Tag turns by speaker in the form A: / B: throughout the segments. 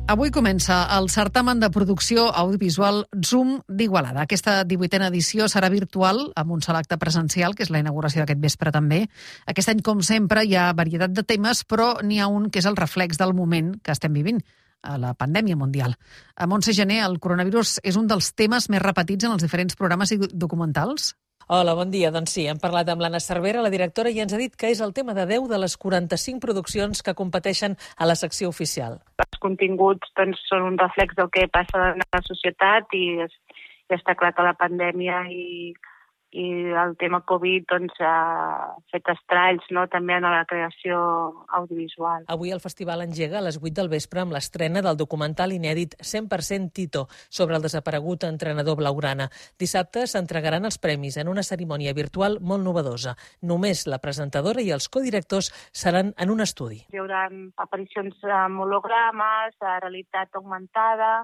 A: Avui comença el certamen de producció audiovisual Zoom d'Igualada. Aquesta 18a edició serà virtual amb un sol acte presencial, que és la inauguració d'aquest vespre també. Aquest any, com sempre, hi ha varietat de temes, però n'hi ha un que és el reflex del moment que estem vivint, a la pandèmia mundial. A Montse Gené, el coronavirus és un dels temes més repetits en els diferents programes i documentals?
B: Hola, bon dia. Doncs sí, hem parlat amb l'Anna Cervera, la directora, i ens ha dit que és el tema de 10 de les 45 produccions que competeixen a la secció oficial.
C: Els continguts són un reflex del que passa en la societat i està clar que la pandèmia i el tema Covid ha fet estralls, també en la creació audiovisual.
B: Avui el festival engega a les 8 del vespre amb l'estrena del documental inèdit 100% Tito sobre el desaparegut entrenador blaugrana. Dissabte s'entregaran els premis en una cerimònia virtual molt novedosa. Només la presentadora i els codirectors seran en un estudi.
C: Hi haurà aparicions amb hologrames, realitat augmentada,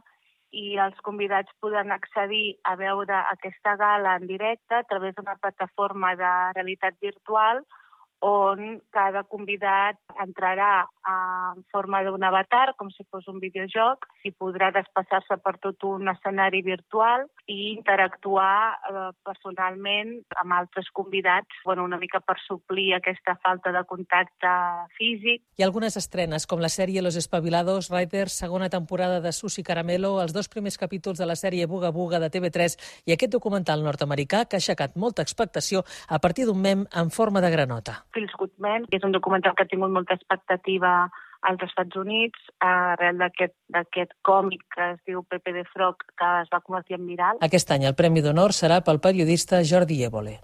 C: i els convidats podran accedir a veure aquesta gala en directe a través d'una plataforma de realitat virtual on cada convidat entrarà en forma d'un avatar, com si fos un videojoc, i podrà desplaçar-se per tot un escenari virtual i interactuar personalment amb altres convidats, una mica per suplir aquesta falta de contacte físic.
B: Hi ha algunes estrenes, com la sèrie Los Espabilados Riders, segona temporada de Susi Caramelo, els 2 primers capítols de la sèrie Buga Buga de TV3 i aquest documental nord-americà que ha aixecat molta expectació a partir d'un mem en forma de granota.
C: Feels Good Men, que és un documental que ha tingut molta expectativa als Estats Units, arrel d'aquest còmic que es diu Pepe the Frog, que es va convertir en viral.
B: Aquest any el Premi d'Honor serà pel periodista Jordi Évole.